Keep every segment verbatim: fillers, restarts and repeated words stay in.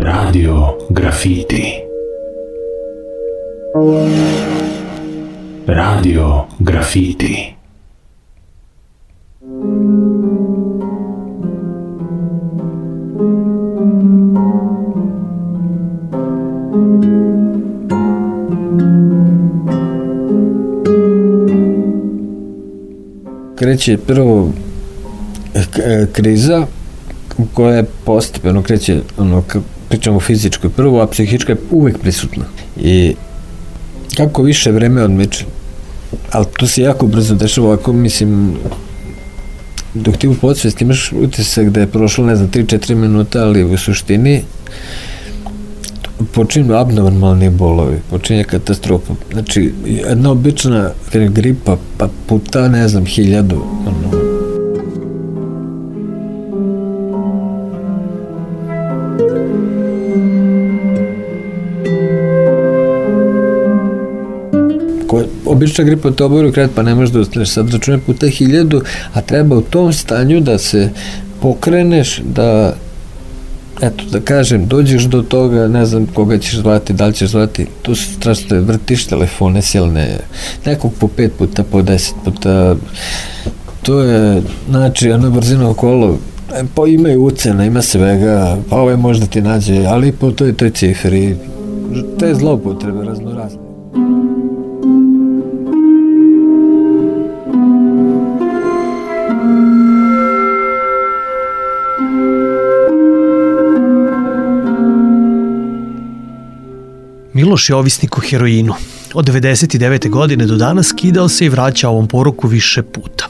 Radio Grafiti. Radio Grafiti. Kreće prvo kriza koja je postepeno kreće, ono, pričamo o fizičkoj prvo, a psihička je uvek prisutna. I kako više vreme odmiče, ali to se jako brzo dešava, ovako, mislim, dok ti u podsvesti imaš utisak da je prošlo, ne znam, tri četiri minuta, ali u suštini počinju abnormalni bolovi, počinje katastrofa. Znači, jedna obična gripa, pa puta, ne znam, hiljadu, ono, obična gripa te obavi kret, pa ne možeš da ustaneš, sad računaj puta hiljadu, a treba u tom stanju da se pokreneš, da, eto, da kažem, dođeš do toga, ne znam koga ćeš zvati, da li ćeš zvati, tu su strašno, vrtiš telefone silne, nekog po pet puta, po deset puta, to je, znači, ono brzino okolo, pa ima i ucena, ima svega, pa ovo je možda ti nađe, ali po toj, toj cifri, te zloupotrebe raznorazne. Miloš je ovisnik o heroinu. Od devedeset devete godine do danas skidao se i vraća ovom poroku više puta.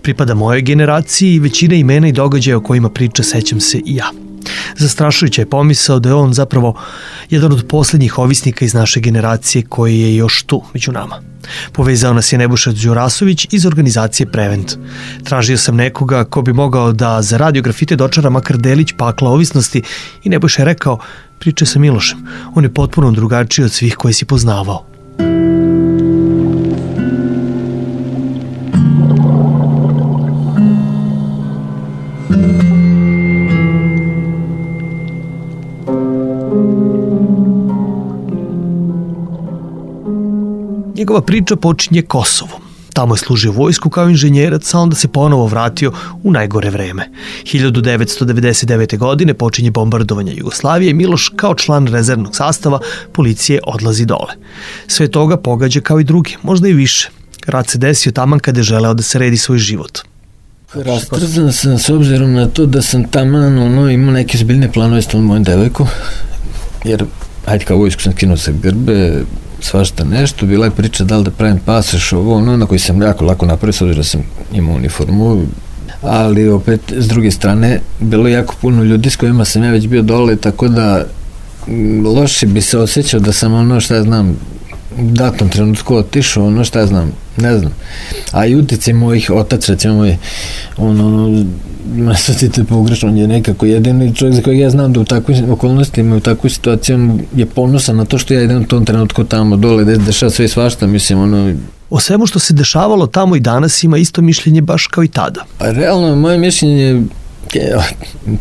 Pripada mojoj generaciji i većina imena i događaja o kojima priča sećam se i ja. Zastrašujuća je pomisao da je on zapravo jedan od poslednjih ovisnika iz naše generacije koji je još tu, među nama. Povezao nas je Nebojša Đurasović iz organizacije Prevent. Tražio sam nekoga ko bi mogao da za Radio Grafite dočara makar delić pakla ovisnosti i Nebojša je rekao, pričaj sa Milošem, on je potpuno drugačiji od svih koje si poznavao. Njegova priča počinje Kosovom. Tamo je služio vojsku kao inženjerac, a onda se ponovo vratio u najgore vreme. hiljadu devetsto devedeset devete. godine počinje bombardovanje Jugoslavije i Miloš kao član rezervnog sastava policije odlazi dole. Sve toga pogađa kao i drugi, možda i više. Rat se desio taman kada je želeo da se redi svoj život. Rastrzan sam s obzirom na to da sam taman ono, imao neke zbiljne planove s tom mojom devojkom, jer ajde kao vojsku sam skinuo sa grbe, svašta nešto, bila je priča da li da pravim pasoš, ovo ono, na koji sam jako lako napravio, s obzirom da sam imao uniformu, ali opet, s druge strane, bilo je jako puno ljudi s kojima sam ja već bio dole, tako da loše bi se osjećao da sam ono, šta ja znam, u datom trenutku otišao, ono, šta ja znam, ne znam, a i utjecaj mojih otac, recimo moj, ono, ono, nasvetite pogrešno, on je nekako jedini čovjek za kojeg ja znam da u takvim okolnostima, u takvoj situaciji je ponosan na to što ja idem u tom trenutku tamo dole, da dešava sve i svašta, mislim, ono... O svemu što se dešavalo tamo i danas ima isto mišljenje baš kao i tada. Pa realno, moje mišljenje,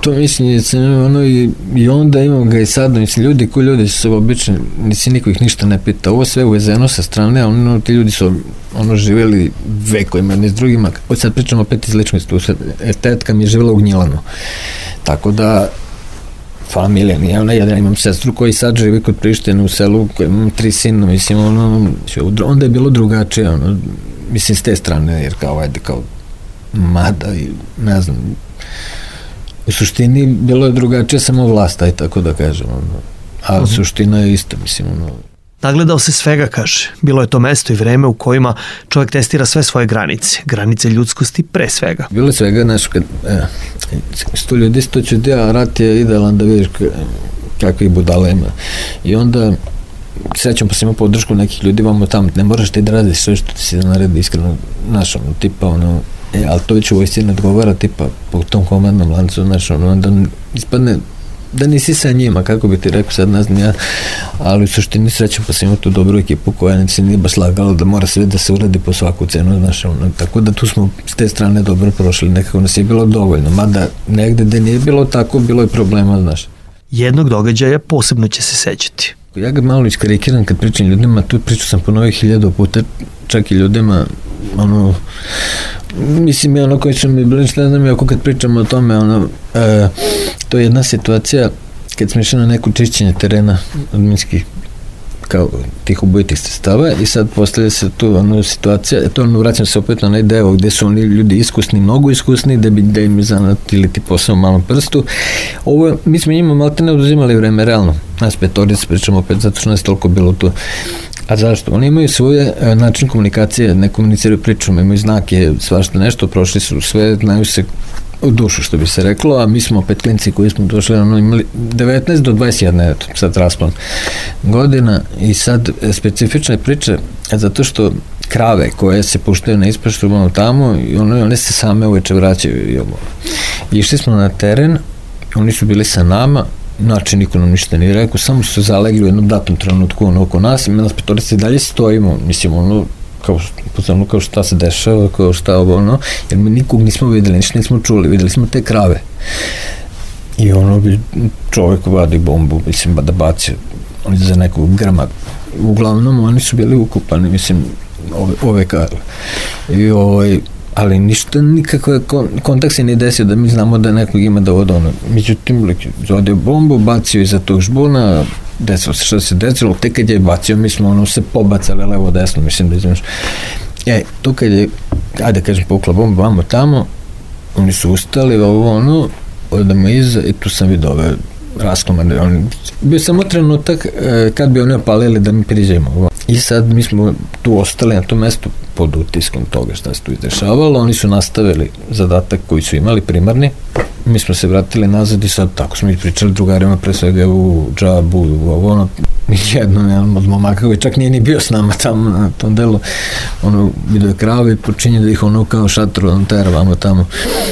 to mišljenje sam imao ono i, i onda imam ga i sad, mislim, ljudi koji ljudi su obični, nisi niko ih ništa ne pita, ovo sve uvezeno sa strane, a ono, ti ljudi su ono živjeli vekovima jedni s drugima, od sad pričamo opet iz ličnosti, tetka mi je živjela u Gnjilanu, tako da familija, nije ona, ja imam sestru koji sad živi kod Prištine u selu, koji imam tri sina, mislim, ono, onda je bilo drugačije, ono, mislim, s te strane, jer kao, ajde, kao mada i ne znam, u suštini bilo je drugačije samo vlast, aj tako da kažem, ono, a uh-huh. suština je isto, mislim, ono. Nagledao se svega, kaže. Bilo je to mesto i vreme u kojima čovjek testira sve svoje granice. Granice ljudskosti pre svega. Bilo je svega, znaš, kad e, sto ljudi, sto čudi, a rat je idealan da vidiš kakvih budala ima. I onda sećam pa sam imao podršku nekih ljudi, vamo tamo, ne moraš ti da radiš sve što ti se naredi, iskreno, znaš, ono, tipa, ono, e, ali to već u vojsci ne odgovara, tipa, po tom komandnom lancu, znaš, ono, onda ispadne da nisi sa njima, kako bi ti rekao, sad ne znam ja, ali u suštini srećem pa sam imao tu dobru ekipu koja ne se nije baš lagala da mora sve da se uradi po svaku cenu, znaš, ono, tako da tu smo s te strane dobro prošli, nekako nas je bilo dovoljno, mada negde gde nije bilo tako, bilo je problema, znaš. Jednog događaja posebno će se sećati. Ja ga malo iskarikiram kad pričam ljudima, tu priču sam ponovio hiljadu puta, čak i ljudima, ono, mislim je ono koji su mi bili, ne znam, ako kad pričamo o tome, ono, e, to je jedna situacija kad smo išli na neko čišćenje terena od minskih, kao tih ubojitih sredstava i sad postavlja se tu ono situacija, to ono vraćam se opet na onaj deo gde su oni ljudi iskusni, mnogo iskusni, da bi da im zanatili ti posao u malom prstu. Ovo, mi smo njima malte ne oduzimali vreme, realno. Nas petorica pričamo opet zato što nas toliko bilo tu. A zašto? Oni imaju svoje način komunikacije, ne komuniciraju pričom, imaju znake, svašta nešto, prošli su sve, znaju se u dušu, što bi se reklo, a mi smo opet klinci koji smo došli, ono, imali devetnaest do dvadeset jedan, eto, sad raspon godina i sad specifične priče, zato što krave koje se puštaju na ispašu, ono tamo, i ono, one se same uveče vraćaju i ovo. Išli smo na teren, oni su bili sa nama, znači niko nam ništa nije rekao, samo su zalegli u jednom datom trenutku ono oko nas i mi nas petorice i dalje stojimo, mislim, ono, kao, pozorno, kao šta se dešava, kao šta ovo, ono, jer mi nikog nismo videli, ništa nismo čuli, videli smo te krave. I ono bi čovjek vadi bombu, mislim, da baci oni za nekog grma. Uglavnom, oni su bili ukupani, mislim, ove, ove krave. I ovaj, ali ništa, nikakve kontakt se nije desio da mi znamo da nekog ima da voda ono. Međutim, zaodio bombu, bacio iza tog žbuna, desilo se što se desilo, tek kad je bacio, mi smo ono se pobacali levo desno, mislim da izviš. E, to kad je, ajde kažem, pukla bomba, vamo tamo, oni su ustali, ovo ono, odamo iza i tu sam vidio ove raskomane. On, bio samo trenutak e, kad bi oni opalili da mi priđemo. I sad mi smo tu ostali na tom mestu pod utiskom toga šta se tu izdešavalo. Oni su nastavili zadatak koji su imali primarni. Mi smo se vratili nazad i sad tako smo pričali drugarima, pre svega u džabu, u ovo, ono, jednom, jedan od momaka koji čak nije ni bio s nama tamo na tom delu, ono, vidio je krave i počinje da ih ono kao šatru, on teravamo tamo.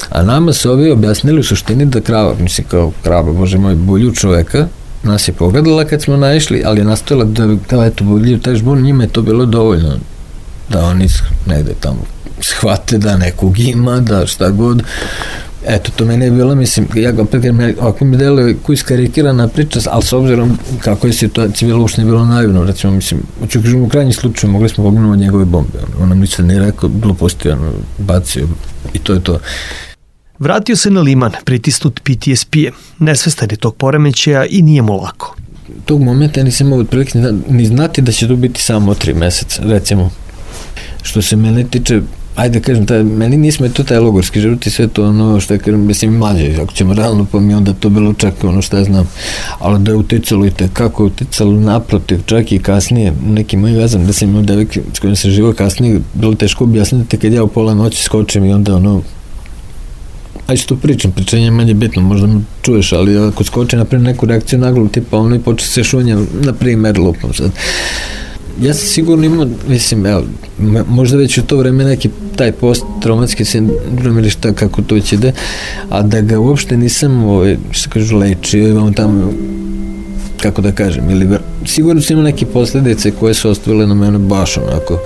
A nama su ovi objasnili u suštini da krava, mislim kao krava, bože moj, bulju čoveka, nas je pogledala kad smo naišli, ali je nastojala da, kao eto, bulju taj žbun, njima je to bilo dovoljno da oni negde tamo shvate da nekog ima, da šta god. Eto, to mene je bilo, mislim, ja ga opet, ako mi deluje koji iskarikirana priča, ali s obzirom kako je situacija bilo, uopšte nije bilo naivno, recimo, mislim, ću kažem, u krajnjem slučaju mogli smo poginuti od njegove bombe, on, on nam ništa nije rekao, gluposti, ono, bacio i to je to. Vratio se na Liman, pritisnut P T S P-em, nesvestan je tog poremećaja i nije mu lako. Tog momenta nisam imao otprilike ni znati da će to biti samo tri meseca, recimo. Što se mene tiče, ajde kažem, taj, meni nismo to taj logorski život i sve to ono što je, kažem, mislim, mlađe, ako ćemo realno pa mi onda to bilo čak ono što ja znam, ali da je uticalo i kako je uticalo naprotiv, čak i kasnije, neki moji vezam, da sam imao devojke s kojim sam živao kasnije, bilo teško objasniti kad ja u pola noći skočim i onda ono, ajde što pričam, pričanje je manje bitno, možda me čuješ, ali ako skoči naprijed neku reakciju naglu, tipa ono i počne se šunja, na primer, lupom sad. Ja sam sigurno imao, mislim, evo, možda već u to vreme neki taj post-traumatski sindrom ili šta, kako to već ide, a da ga uopšte nisam, ovaj, što kažu, lečio, imam tamo, kako da kažem, ili sigurno sam imao neke posljedice koje su ostavile na mene baš onako.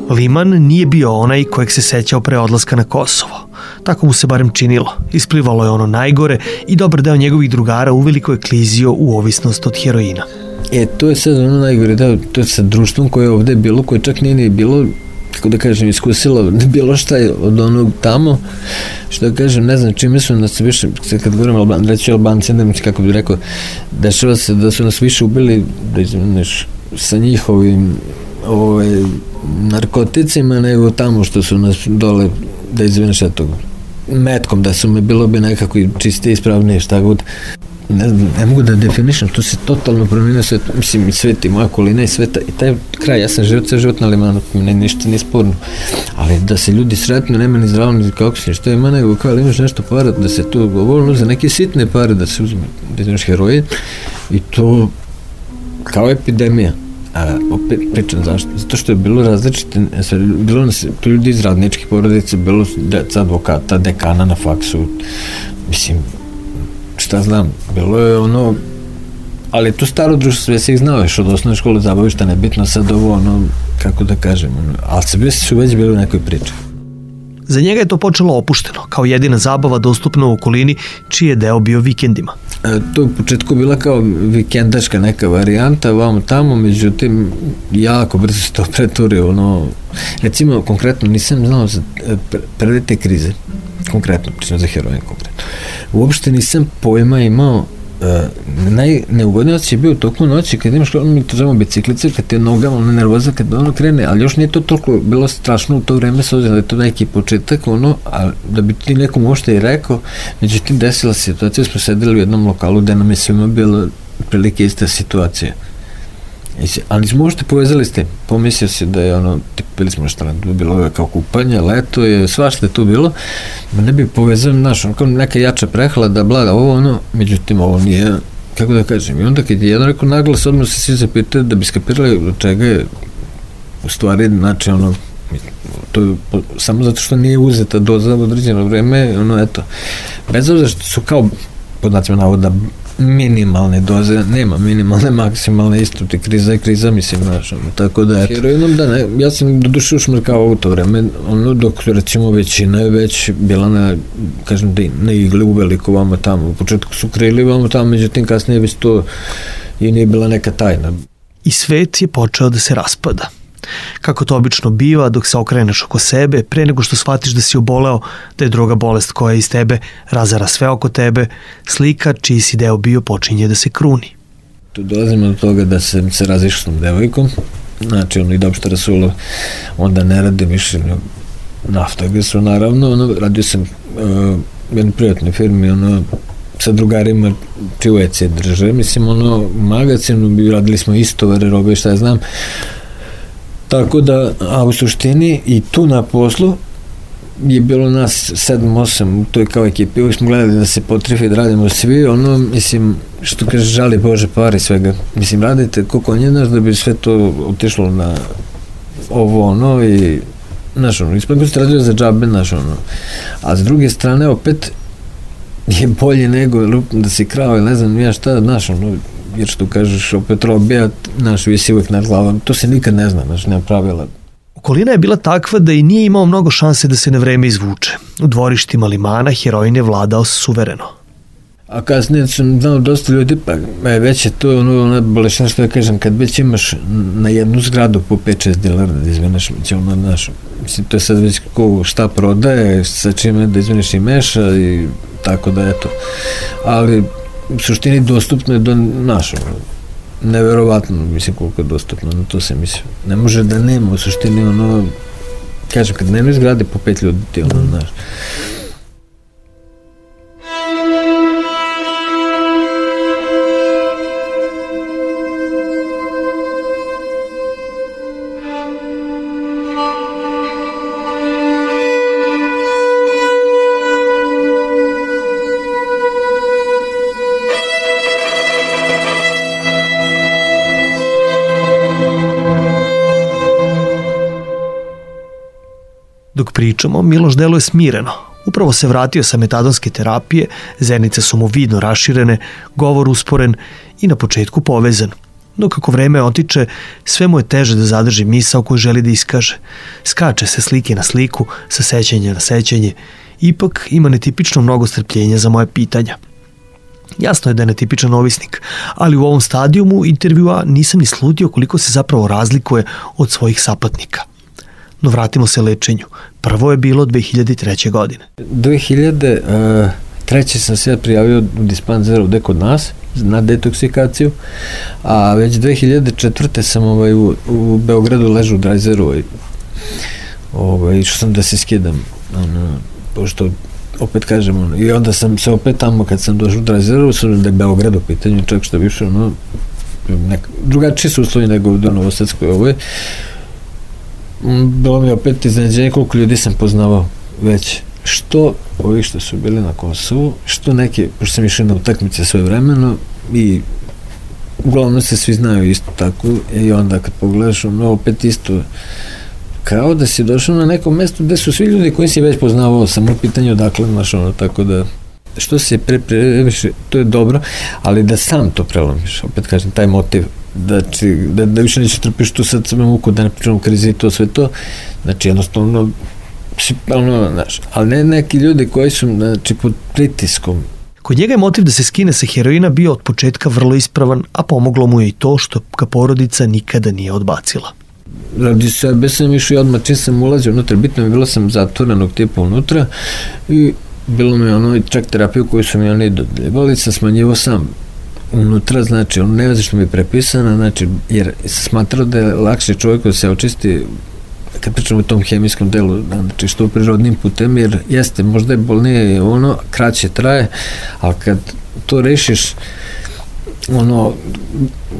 Liman nije bio onaj kojeg se sećao pre odlaska na Kosovo. Tako mu se barem činilo. Isplivalo je ono najgore i dobar deo njegovih drugara uveliko je klizio u ovisnost od heroina. E, to je sad ono najgore deo, to je sa društvom koje je ovde bilo, koje čak nije ni bilo, kako da kažem, iskusilo bilo šta od onog tamo, što da kažem, ne znam čime su nas više, kad govorim Alban, reći Albanci, ne znam kako bih rekao, dešava se da su nas više ubili, da izmeniš, sa njihovim ovaj, narkoticima nego tamo što su nas dole, da izvineš etog, metkom, da su me bilo bi nekako čiste ispravnije, šta god. ne znam, ne mogu da definišem, to se totalno promijenio svet, mislim i svet i moja okolina i sveta i taj kraj, ja sam život, sve život na Limanu, ne, ništa nije sporno, ali da se ljudi sretno, nema ni zdravo, ni kako si, što ima nego, kao ali imaš nešto para, da se to govorilo za neke sitne pare, da se uzme, da imaš heroin i to kao epidemija. A opet pričam zašto, zato što je bilo različite, bilo nas, tu ljudi iz radničkih porodica, bilo deca advokata, dekana na faksu, mislim, šta znam, bilo je ono, ali to staro društvo, sve se ih znao, još od osnovne škole zabavišta, nebitno sad ovo, ono, kako da kažem, ono, ali sve su već bili u nekoj priči. Za njega je to počelo opušteno, kao jedina zabava dostupna u okolini, čiji je deo bio vikendima. E, to u početku bila kao vikendaška neka varijanta, vamo tamo, međutim, jako brzo se to preturio, ono, recimo, konkretno, nisam znao za prve te krize, konkretno, pričam za heroin konkretno. Uopšte nisam pojma imao, uh, najneugodniji osjećaj je bio u toku noći kad imaš, ono mi to zovemo biciklice, kad ti je nogama ono nervoza, kad ono krene, ali još nije to toliko bilo strašno u to vreme, s obzirom da je to neki početak, ono, a da bi ti nekom uopšte i rekao, međutim desila situacija, smo sedeli u jednom lokalu gde nam je svima bila prilike ista situacija. Ali smo uopšte povezali s tim, pomislio se da je ono, bili smo na štrandu, bilo je kao kupanje, leto je, svašta je tu bilo, ma ne bi povezali, znaš, ono kao neka jača prehlada, blada, ovo ono, međutim ovo nije, kako da kažem, i onda kad je jedan rekao naglas, odmah se svi zapitali da bi skapirali od čega je u stvari, znači ono, to je samo zato što nije uzeta doza u određeno vreme, ono, eto, bez obzira što su kao, pod nacima navoda, minimalne doze, nema minimalne, maksimalne, isto ti kriza je kriza, mislim, znaš, ono, tako da, eto. Heroinom, da, ne, ja sam do duše ušmrkao u to vreme, ono, dok, recimo, većina je već bila na, kažem, da na igli u veliko vamo tamo, u početku su krili vamo tamo, međutim, kasnije već to i nije bila neka tajna. I svet je počeo da se raspada. Kako to obično biva, dok se okreneš oko sebe, pre nego što shvatiš da si oboleo, da je druga bolest koja iz tebe razara sve oko tebe, slika čiji si deo bio počinje da se kruni. Tu dolazimo do toga da sam se razišao s tom devojkom, znači ono i Dobštara Sula, onda ne radim više Naftogasu, naravno, ono, radio sam uh, u jednoj privatnoj firmi, ono, sa drugarima čiju E C drže, mislim, ono, u magazinu, radili smo istovare, robe, šta ja znam. Tako da, a u suštini i tu na poslu je bilo nas sedam osam u toj kao ekipi, uvijek smo gledali da se potrifi da radimo svi, ono, mislim, što kaže, žali Bože pari svega, mislim, radite ko konje naš da bi sve to otišlo na ovo, ono, i, znaš, ono, ispod se radio za džabe, znaš, ono, a s druge strane, opet, je bolje nego da si krao ili ne znam ja šta, znaš, ono, jer što kažeš, opet robija, znaš, visi uvijek nad glavom, to se nikad ne zna, znaš, nema pravila. Okolina je bila takva da i nije imao mnogo šanse da se na vreme izvuče. U dvorištima Limana heroin je vladao suvereno. A kasnije sam znao dosta ljudi, pa već je to ono, ono boleština što ja kažem, kad već imaš na jednu zgradu po pet šest dilera da izveneš, ono, znaš, mislim, to je sad već ko šta prodaje, sa čime da izveneš i meša i tako da, eto. Ali u suštini dostupno je do našeg, neverovatno, mislim, koliko je dostupno, na to se mislim. Ne može da nema, u suštini, ono, kažem, kad nema izgrade po pet ljudi, ti, ono, znaš. Dok pričamo, Miloš deluje smireno. Upravo se vratio sa metadonske terapije, zenice su mu vidno raširene, govor usporen i na početku povezan. No kako vreme otiče, sve mu je teže da zadrži misao koju želi da iskaže. Skače se slike na sliku, sa sećanja na sećanje. Ipak ima netipično mnogo strpljenja za moje pitanja. Jasno je da je netipičan ovisnik, ali u ovom stadijumu intervjua nisam ni sludio koliko se zapravo razlikuje od svojih sapatnika. No vratimo se lečenju. Prvo je bilo dve hiljade treće. godine. dve hiljade treće. sam se prijavio u dispanzer ovde kod nas na detoksikaciju, a već dve hiljade četvrte. sam ovaj, u, u Beogradu ležu u Drajzeru, ovaj, išao sam da se skidam, ono, pošto opet kažem, ono, i onda sam se opet tamo, kad sam došao u rezervu, sam da je Beograd u pitanju, čak što više, ono, nek, drugačiji su uslovi nego u Novosadskoj ovoj. Bilo mi opet iznenađenje koliko ljudi sam poznavao već, što ovi što su bili na Kosovu, što neki, pošto sam išao na utakmice sve vremeno i uglavnom se svi znaju isto tako i onda kad pogledaš, ono, opet isto kao da si došao na neko mesto gde su svi ljudi koji si već poznavao, samo pitanje odakle, znaš, ono, tako da što se pre, previše, to je dobro, ali da sam to prelomiš, opet kažem, taj motiv, da, či, da, da više neće trpiš tu sad samo muku, da ne pričam u krizi i to sve to, znači jednostavno, ono, znaš, ali ne neki ljudi koji su, znači, pod pritiskom. Kod njega je motiv da se skine sa heroina bio od početka vrlo ispravan, a pomoglo mu je i to što ga porodica nikada nije odbacila. Radi sebe sam išao i odmah čim sam ulazio unutra, bitno mi bilo sam zatvorenog tipa unutra i bilo mi ono čak terapiju koju su mi oni dodljevali, sam smanjivo sam unutra, znači ono ne veze što mi je prepisana, znači jer sam smatrao da je lakše čovjeku da se očisti kad pričamo o tom hemijskom delu, znači što prirodnim putem, jer jeste, možda je bolnije ono, kraće traje, ali kad to rešiš ono,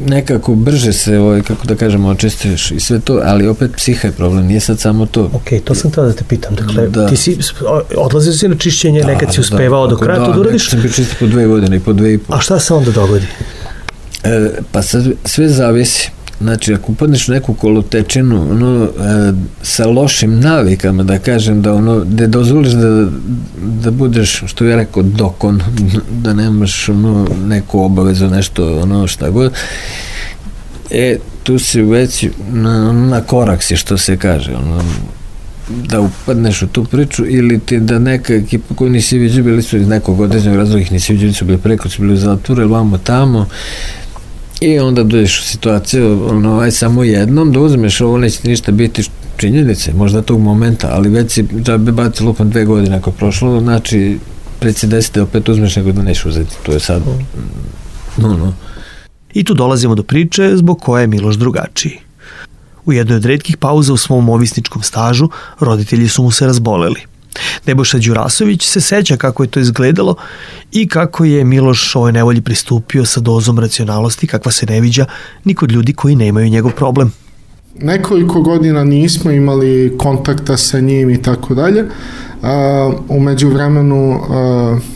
nekako brže se, ovaj, kako da kažemo, očistiš i sve to, ali opet psiha je problem, nije sad samo to. Ok, to sam tada da te pitam, dakle, da. Ti si, odlazio si na čišćenje, da, nekad si uspevao da, do kraja, da, to da uradiš? Da, sam bio čisti po dve godine i po dve i po. A šta se onda dogodi? E, pa sad sve zavisi. Znači, ako upadneš u neku kolotečinu, ono, e, sa lošim navikama, da kažem, da ono, da dozvoliš da, da budeš, što je rekao, dokon, da nemaš, ono, neku obavezu, nešto, ono, šta god, e, tu si već na, na korak si, što se kaže, ono, da upadneš u tu priču, ili ti da neka ekipa koju nisi vidio, bili su iz nekog određenog razloga, ih nisi vidio, su bili preko, su bili u zatvoru, ili vamo tamo, i onda dođeš u situaciju, ono, aj samo jednom da uzmeš, ovo neće ti ništa biti činjenice, možda tog momenta, ali već si da bi baci lupom dve godine ako prošlo, znači pred si desete opet uzmeš nego da neš uzeti, to je sad, no, no. I tu dolazimo do priče zbog koje je Miloš drugačiji. U jednoj od retkih pauza u svom ovisničkom stažu roditelji su mu se razboleli. Nebojša Đurasović se seća kako je to izgledalo i kako je Miloš ovoj nevolji pristupio sa dozom racionalnosti kakva se ne viđa ni kod ljudi koji nemaju njegov problem. Nekoliko godina nismo imali kontakta sa njim i tako dalje. U međuvremenu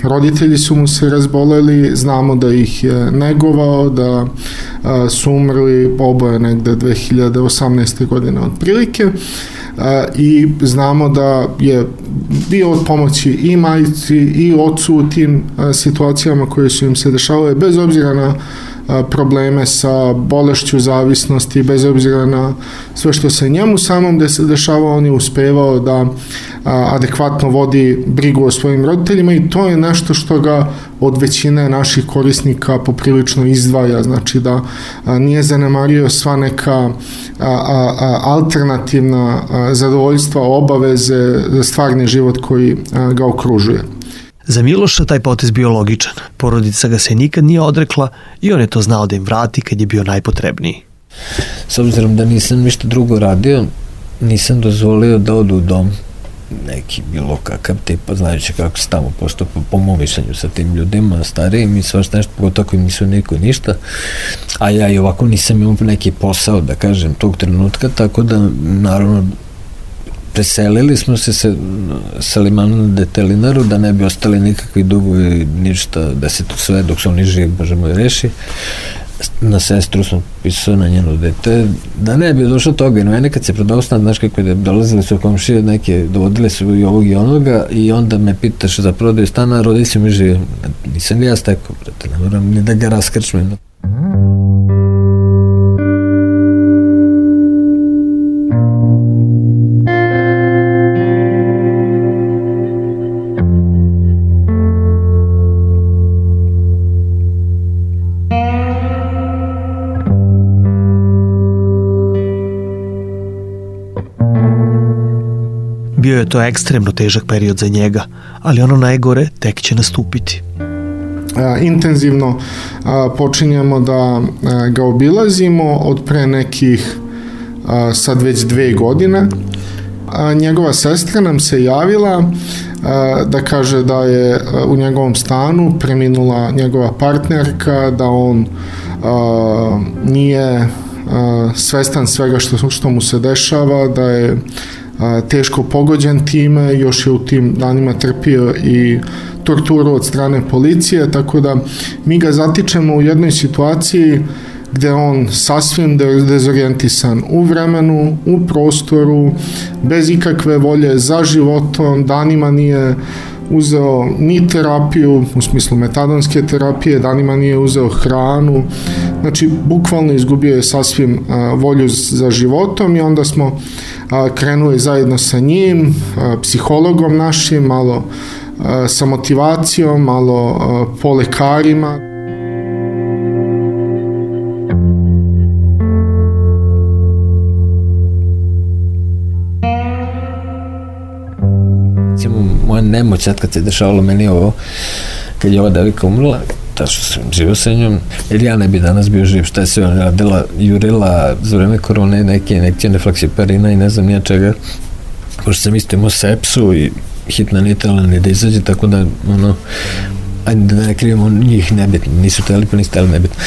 roditelji su mu se razboleli, znamo da ih je negovao, da su umrli oboje negde dve hiljade osamnaeste. godine otprilike. I znamo da je bio od pomoći i majici i ocu u tim situacijama koje su im se dešavale, bez obzira na probleme sa bolešću zavisnosti, bez obzira na sve što se njemu samom dešavao, on je uspevao da adekvatno vodi brigu o svojim roditeljima i to je nešto što ga od većine naših korisnika poprilično izdvaja, znači da nije zanemario sva neka alternativna zadovoljstva, obaveze, stvarni život koji ga okružuje. Za Miloša taj potez bio logičan. Porodica ga se nikad nije odrekla i on je to znao da im vrati kad je bio najpotrebniji. S obzirom da nisam ništa drugo radio, nisam dozvolio da odu u dom neki bilo kakav tipa, znajući kako se tamo postupa po mom mišljenju sa tim ljudima, starijim i svašta nešto, pogotovo koji nisu niko ništa, a ja i ovako nisam imao neki posao, da kažem, tog trenutka, tako da, naravno, preselili smo se sa, sa limana na Detelinaru, da ne bi ostali nikakvi dugovi, ništa, da se to sve, dok su oni živi, Bože moj, reši. Na sestru sam pisao, na njeno dete, da ne bi došlo toga, i no, nekad se prodao stan, znaš kako je, dolazili su komšije, neke, dovodile su i ovog i onoga, i onda me pitaš za prodaju stana, rodi se mi živi, nisam li ja stekao, brate, ne moram ni da ga raskrčmem. Bio je to ekstremno težak period za njega, ali ono najgore tek će nastupiti. Intenzivno počinjemo da ga obilazimo od pre nekih sad već dve godine. Njegova sestra nam se javila da kaže da je u njegovom stanu preminula njegova partnerka, da on nije svestan svega što, što mu se dešava, da je teško pogođen time, još je u tim danima trpio i torturu od strane policije, tako da mi ga zatičemo u jednoj situaciji gde on sasvim dezorijentisan u vremenu, u prostoru, bez ikakve volje za životom, danima nije uzeo ni terapiju, u smislu metadonske terapije, danima nije uzeo hranu, znači bukvalno izgubio je sasvim a, volju za životom i onda smo a, krenuli zajedno sa njim, a, psihologom našim, malo a, sa motivacijom, malo a, po lekarima. Moja nemoć sad kad se dešavalo meni ovo, kad je ova devika umrla, ta što sam živio sa njom, jer ja ne bi danas bio živ, šta je sve ona radila, jurila za vreme korone neke injekcije flaksiparina i ne znam nija čega, pošto sam isto imao sepsu i hitna nitrala ni da izađe, tako da ono, ajde da ne krivimo njih, nebitno, nisu teli pa nisu teli nebitno.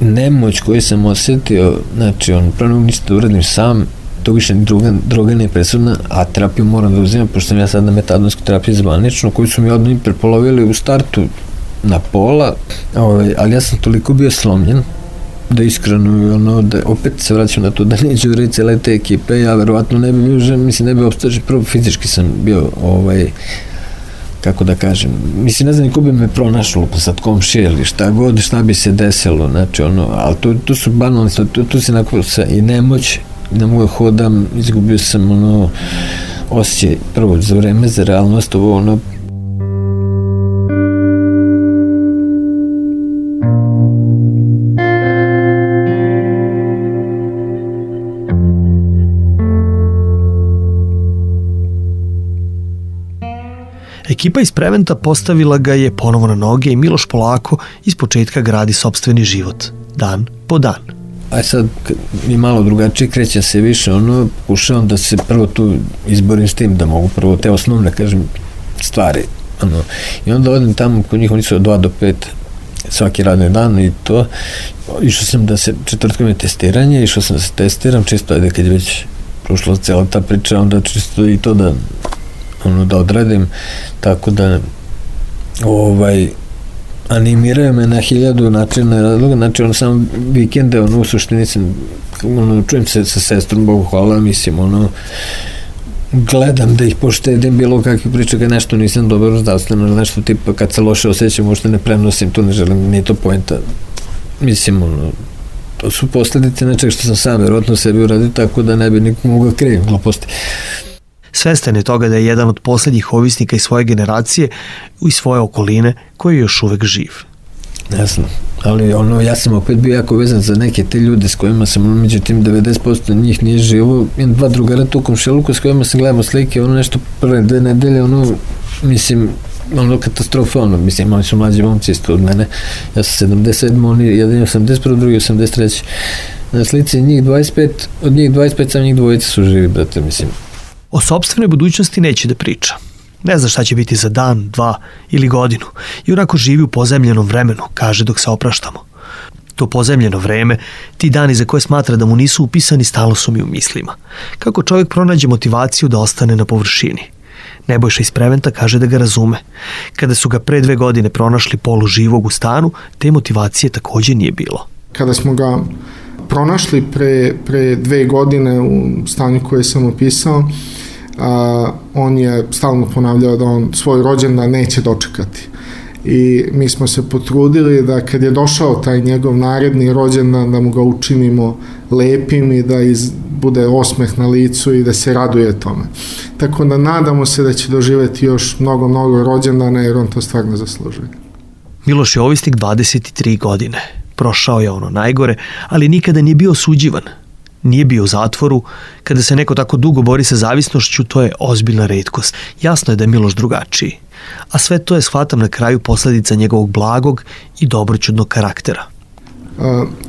Nemoć koju sam osjetio, znači on prvo ništa da uradim sam, to više ni druga, droga nije presudna, a terapiju moram da uzimam, pošto sam ja sad na metadonsku terapiju zvanično, koju su mi odmah prepolovili u startu na pola, ovaj, ali ja sam toliko bio slomljen, da iskreno, ono, da opet se vraćam na to, da neću uvjeriti cijele te ekipe, ja verovatno ne bi bio žen, mislim, ne bi opstaži, prvo fizički sam bio, ovaj, kako da kažem, mislim, ne znam niko bi me pronašlo, pa sad komšije ili šta god, šta bi se desilo, znači, ono, ali to, to su banalni, tu, tu se nakon sve, i nemoć, ne mogu hodam, izgubio sam ono osjećaj prvo za vreme, za realnost, ovo ono Ekipa iz Preventa postavila ga je ponovo na noge i Miloš polako iz početka gradi sopstveni život, dan po dan. A sad mi malo drugačije krećem se više, ono, pokušavam da se prvo tu izborim s tim, da mogu prvo te osnovne, kažem, stvari, ono, i onda odem tamo, kod njih oni su od dva do pet svaki radni dan i to, išao sam da se, četvrtkom je testiranje, išao sam da se testiram, čisto ajde kad je već prošla cijela ta priča, onda čisto i to da, ono, da odradim, tako da, ovaj, animiraju me na hiljadu načina razloga, znači ono samo vikende, ono u suštini sam, ono, čujem se sa sestrom, Bogu hvala, mislim, ono, gledam da ih poštedim bilo kakve priče, kad nešto nisam dobro zdravstveno, nešto tipa kad se loše osjećam, možda ne prenosim, tu ne želim, nije to poenta, mislim, ono, to su posljedice nečeg što sam sam verovatno sebi uradio, tako da ne bi nikom mogao krivim gluposti. Svestan je toga da je jedan od posljednjih ovisnika iz svoje generacije i svoje okoline koji je još uvek živ. Ne znam, ali ono, ja sam opet bio jako vezan za neke te ljude s kojima sam, ono, međutim devedeset posto njih nije živo, imam dva drugara tu u komšiluku s kojima sam gledamo slike, ono nešto prve dve nedelje, ono, mislim, ono katastrofa, ono, mislim, oni su mlađi momci isto od mene, ja sam sedamdeset sedam, oni jedan je osamdeset prvi, drugi osamdeset treći Na slici njih dvadeset pet, od njih dvadeset pet, sam njih dvojice su živi, brate, mislim. O sopstvenoj budućnosti neće da priča. Ne zna šta će biti za dan, dva ili godinu i onako živi u pozemljenom vremenu, kaže dok se opraštamo. To pozemljeno vreme, ti dani za koje smatra da mu nisu upisani, stalno su mi u mislima. Kako čovjek pronađe motivaciju da ostane na površini? Nebojša iz Preventa kaže da ga razume. Kada su ga pre dve godine pronašli polu živog u stanu, te motivacije također nije bilo. Kada smo ga pronašli pre, pre dve godine u stanju koje sam opisao, a, on je stalno ponavljao da on svoj rođendan neće dočekati. I mi smo se potrudili da kad je došao taj njegov naredni rođendan, da mu ga učinimo lepim i da iz, bude osmeh na licu i da se raduje tome. Tako da nadamo se da će doživjeti još mnogo, mnogo rođendana, jer on to stvarno zaslužuje. Miloš je ovisnik dvadeset tri godine. Prošao je ono najgore, ali nikada nije bio osuđivan. Nije bio u zatvoru. Kada se neko tako dugo bori sa zavisnošću, to je ozbiljna retkost. Jasno je da je Miloš drugačiji. A sve to je, shvatam, na kraju posljedica njegovog blagog i dobroćudnog karaktera.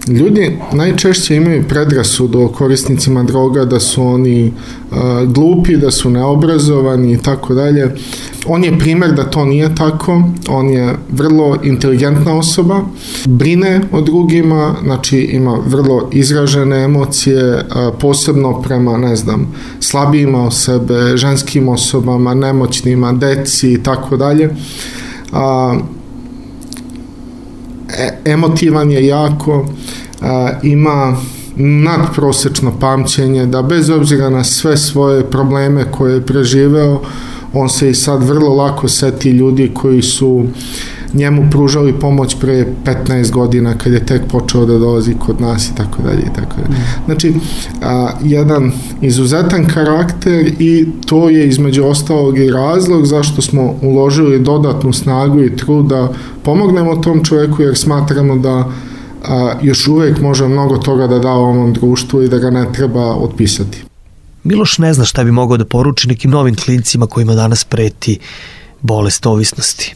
Ljudi najčešće imaju predrasudu o korisnicima droga, da su oni glupi, da su neobrazovani i tako dalje. On je primer da to nije tako, on je vrlo inteligentna osoba, brine o drugima, znači ima vrlo izražene emocije, posebno prema, ne znam, slabijima od sebe, ženskim osobama, nemoćnima, deci i tako dalje. Emotivan je jako, ima nadprosečno pamćenje, da bez obzira na sve svoje probleme koje je preživeo, on se i sad vrlo lako seti ljudi koji su njemu pružali pomoć pre petnaest godina kad je tek počeo da dolazi kod nas i tako dalje i tako dalje. Znači, a, jedan izuzetan karakter i to je između ostalog i razlog zašto smo uložili dodatnu snagu i trud da pomognemo tom čoveku, jer smatramo da a, još uvek može mnogo toga da da ovom društvu i da ga ne treba otpisati. Miloš ne zna šta bi mogao da poruči nekim novim klincima kojima danas preti bolest ovisnosti.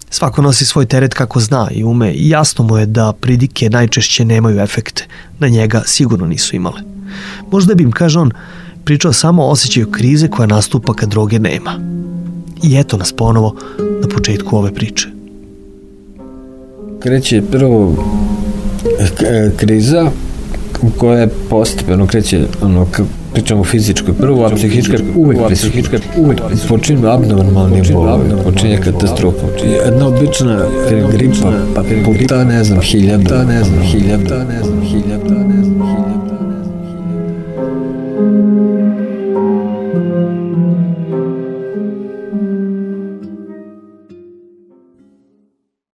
Svako nosi svoj teret kako zna i ume i jasno mu je da pridike najčešće nemaju efekte, na njega sigurno nisu imale. Možda bi im, kaže on, pričao samo o osjećaju krize koja nastupa kad droge nema. I eto nas ponovo na početku ove priče. Kreće prvo kriza koja je postepeno kreće, ono, pričamo o fizičkoj prvo, a psihička uvek prisutna. Uvek počinje abnormalni bol, počinje katastrofa. Jedna obična gripa, pa puta, ne znam, hiljada, ne znam, hiljada, ne znam, hiljada,